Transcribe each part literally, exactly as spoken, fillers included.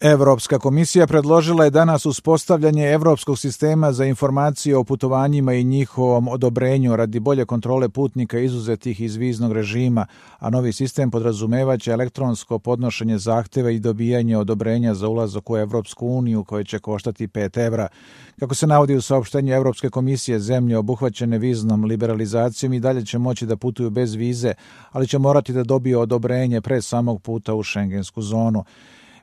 Evropska komisija predložila je danas uspostavljanje Evropskog sistema za informacije o putovanjima i njihovom odobrenju radi bolje kontrole putnika izuzetih iz viznog režima, a novi sistem podrazumevaće elektronsko podnošenje zahtjeva i dobijanje odobrenja za ulazak u Evropsku uniju koje će koštati pet evra. Kako se navodi u saopštenju Evropske komisije, zemlje obuhvaćene viznom liberalizacijom i dalje će moći da putuju bez vize, ali će morati da dobiju odobrenje pre samog puta u šengensku zonu.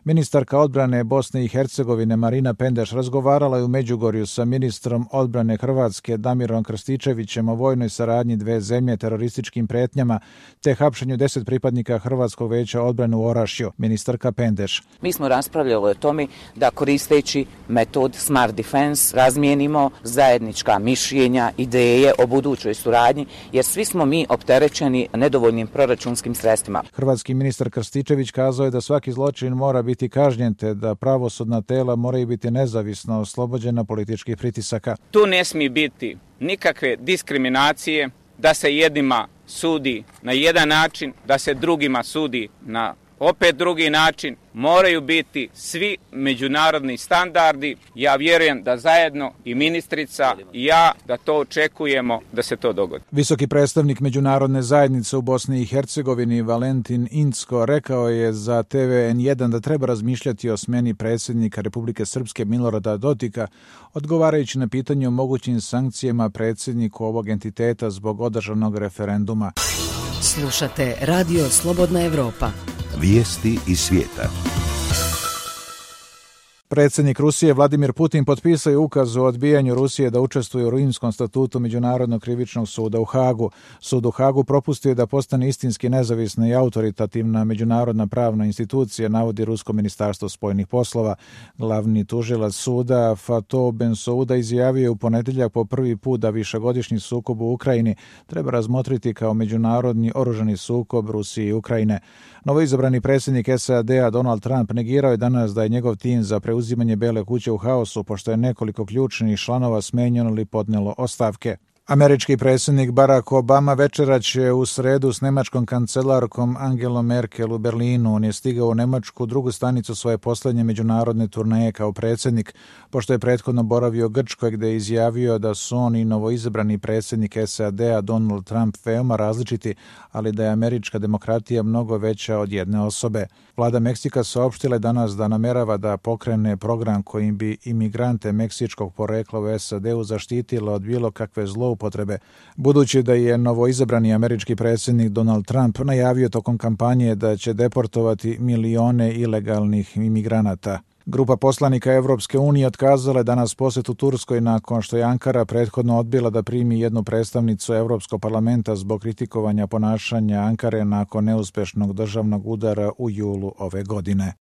Ministarka odbrane Bosne i Hercegovine Marina Pendeš razgovarala je u Međugorju sa ministrom odbrane Hrvatske Damirom Krstičevićem o vojnoj saradnji dve zemlje, terorističkim pretnjama te hapšenju deset pripadnika Hrvatskog veća odbrane u Orašju. Ministarka Pendeš: Mi smo raspravljali o tome da koristeći metod Smart Defense razmijenimo zajednička mišljenja, ideje o budućoj suradnji, jer svi smo mi opterećeni nedovoljnim proračunskim sredstvima. Hrvatski ministar Krstičević kazao je da svaki zločin mora biti biti kažnjen te da pravosudna tela moraju biti nezavisno oslobođena političkih pritisaka. Tu ne smije biti nikakve diskriminacije, da se jednima sudi na jedan način, da se drugima sudi na opet drugi način. Moraju biti svi međunarodni standardi. Ja vjerujem da zajedno i ministrica i ja da to očekujemo da se to dogodi. Visoki predstavnik međunarodne zajednice u Bosni i Hercegovini Valentin Incko rekao je za te ve en jedan da treba razmišljati o smjeni predsjednika Republike Srpske Milorada Dodika, odgovarajući na pitanje o mogućim sankcijama predsjedniku ovog entiteta zbog održanog referenduma. Slušate Radio Slobodna Evropa. Vijesti iz svijeta. Predsjednik Rusije Vladimir Putin potpisao je ukaz o odbijanju Rusije da učestvuje u Rimskom statutu Međunarodnog krivičnog suda u Hagu. Sud u Hagu propustio da postane istinski nezavisna i autoritativna međunarodna pravna institucija, navodi Rusko ministarstvo spoljnih poslova. Glavni tužilac suda Fatih Bensouda izjavio je u ponedjeljak po prvi put da višegodišnji sukob u Ukrajini treba razmotriti kao međunarodni oružani sukob Rusije i Ukrajine. Novoizabrani predsjednik es a de a Donald Trump negirao je danas da je njegov tim za preuzimanje Bele kuće u haosu, pošto je nekoliko ključnih članova smenjeno ili podnijelo ostavke. Američki predsjednik Barack Obama večerat će u sredu s nemačkom kancelarkom Angelom Merkel u Berlinu. On je stigao u Nemačku, drugu stanicu svoje posljednje međunarodne turneje kao predsjednik, pošto je prethodno boravio u Grčkoj gdje je izjavio da su on i novoizabrani predsjednik es a de a Donald Trump veoma različiti, ali da je američka demokratija mnogo veća od jedne osobe. Vlada Meksika saopštila je danas da namerava da pokrene program kojim bi imigrante meksičkog porekla u es a de u zaštitila od bilo kakve zloupotrebe, budući da je novoizabrani američki predsjednik Donald Trump najavio tokom kampanje da će deportovati milione ilegalnih imigranata. Grupa poslanika Evropske unije otkazala je danas posjetu Turskoj nakon što je Ankara prethodno odbila da primi jednu predstavnicu Evropskog parlamenta zbog kritikovanja ponašanja Ankare nakon neuspješnog državnog udara u julu ove godine.